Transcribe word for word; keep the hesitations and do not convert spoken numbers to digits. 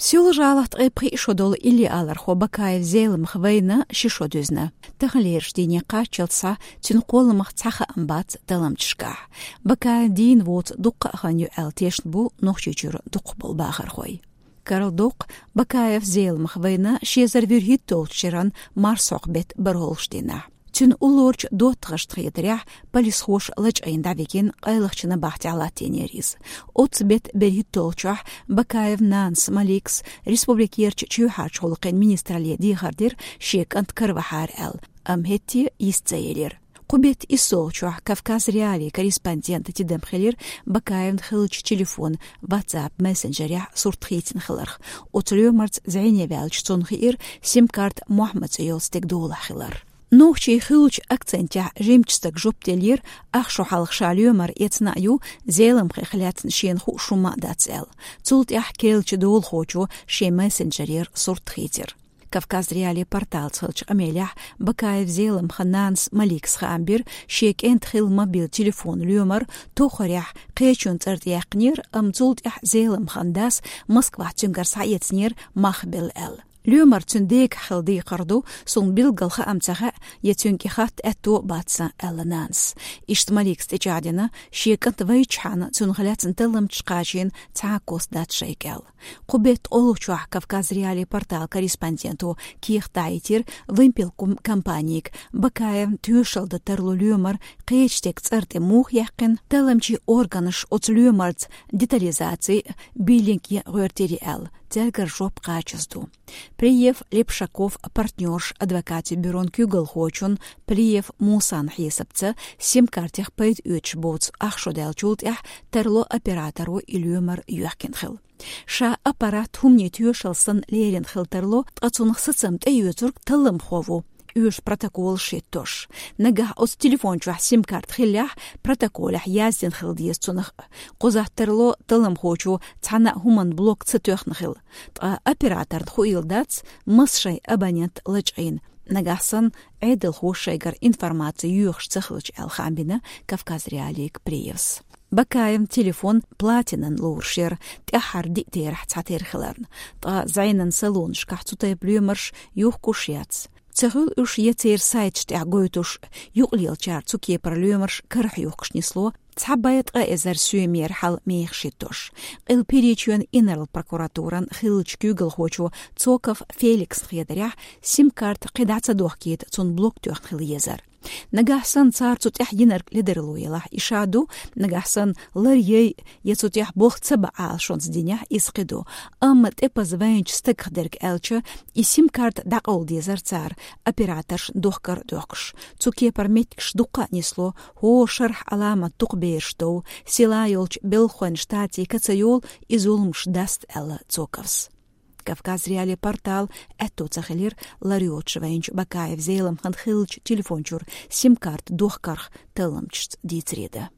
Сийлахь-жалат ткъе пхи шо долу иллиалархо Бакаев Зеламха вайна ши шо дуьзна. Таханлерчу дийне кхаччалц схьа цуьнан кхолламах цхьа хаам бац талламчашкахь. Бакаев дийна воцу дуккха а хан ю аьлла тешна бу Нохчийчуьра дукхахболу бахархой. Карладоккху, Бакаев Зеламха вайна ши эзар вуьрхӀитталгӀачу шеран марсхьокху беттан бархӀолгӀачу дийнахь. Цуьнан уллорачу доттагӀашна хетарехь, полисхоша лачкъийна дӀавигина къайлахчу набахтехь латтийнера иза. Оццу беттан берхӀитталгӀачохь Бакаевн нанас Маликас республикерчу чоьхьарчу гӀуллакхийн министралле дехар дира, шен кӀант каравахьара аьлла, амма хӀетте йист ца елира. Кху беттан иссалгӀачохь Кавказ.Реалии корреспондентан тидам хилира Бакаевн хиллачу телефонан WhatsApp мессенджерехь сурт хийцина хиларх. Оцу лоьмарца зӀене ваьлча, цунна хиира сим-карта Мохьмад цӀе йолу стеган долахь хилар. Нохчийн хуьлучу акцентехь жимачу стага жоп деллера, ах шо хьалха ша лоьмар эцна а ю, Зеламхех лаьцна шена хууш хӀумма а дац аьлла. Цул тӀаьхьа керлачу долахочо шен мессенджерера сурт хийцира. Кавказ.Реалии порталца хиллачу къамелехь Бакаев Зеламхан нанас Маликас хаам бира, шен кӀентан хилла мобил телефонан лоьмар тоххарехь кхечун цӀарна тӀе яьккхинера, амма цул тӀаьхьа Зеламхан дас Москвахь цуьнгара схьаэцнера мах белла аьлла. Лоьмар цуьнан дегахь хилла декхар ду, суна билггал хаам ца хаьа, я цуьнга и хатта аьтто а бац сан, аьлла нанас. Иштта Маликас тӀечӀагӀдина, шен кӀант вайчахьана цунах лаьцна талламчаш кхачийна цхьа а куц дац шайга аьлла. Кху беттан олучохь Кавказ.Реалии порталан корреспонденто кехат дӀахьийтира вымпелком компанига, Бакаевн тоьшалла дан тарло лоьмар кхечу стеган цӀарна тӀе муха яьккхина, талламчийн органаша оцу лоьмарца детализаци, биллинг ян гӀоьртирий аьлла, цаьргара жоп кхачаза ду. Плиев, Лепшаков партнерш адвокатийн бюрон куьйгалхочун Плиев Мусан хьесапца, сим-картех пайда оьцуш боцу ах шо даьллачул тӀаьхьа тарло операторо и лоьмар йоьхкина хилла. Ша аппарат хӀуманийн тоьшалла санна лерина хилла тарло, ткъа цунах сацам тӀеоьцург талламхо ву, оьшуш протоколаш хӀиттош. Нагахь оцу телефон чохь сим-карта хиллехь, протоколехь яздина хила деза цунах. Кхузахь тарло талламхочо цхьана а хӀуманна блок ца тоьхна хилла. Ткъа операторна хуийла дац, маса шайн абонент лачкъийна, нагахь санна Ӏедалхо шайгара информаци йоьхуш ца хилча, аьлла хаам бина Кавказ.Реалиига Плиевс. Бакаевн телефон платинан лоруш яра, тӀаьххьара диъ терахь цхьатерра хиларна. Ткъа зӀенан салонашкахь цу тайпа лоьмарш юхкуш яц. Ца хуьлу уьш я церан сайташ тӀехь гойтуш, юкъалелачара цу кепара лоьмарш карахь юхкуш нисло, цхьа бӀе ткъа эзар соьмера хьал мехаш хӀиттош. Къилба ПиречӀен инарла прокуратуран хиллачу куьйгалхочо Цоков Феликсна хетарехь, сим-карта кхидӀа ца дохкийта, цунна блок тоьхна хила езар. Нагахь санна цара цу тӀехь йинарг ледарло елахь, и ша ду, нагахь санна лар яй, я цу тӀехь болх ца бан Ӏалашонца динехь, иза кхин ду. Амма тӀепаза вайначу стагах дерг аьлча, и сим-карта дӀакъовла дезар цара, операторшна дохкар а дохкуш. Цу кепара меттигаш дуккха а нисло, хӀора шарахь Ӏаламат дукха бераш дов, села йолчу Белхойн Штатийн ка ца йолу и зуламаш даста, аьлла Цоковс. Кавказ.Реалии портал аьтто ца хилира лар йоцуш вайначу Бакаев Зеламхан хиллачу телефон чуьра сим-карта дохкарх талламчашца дийцаре дан.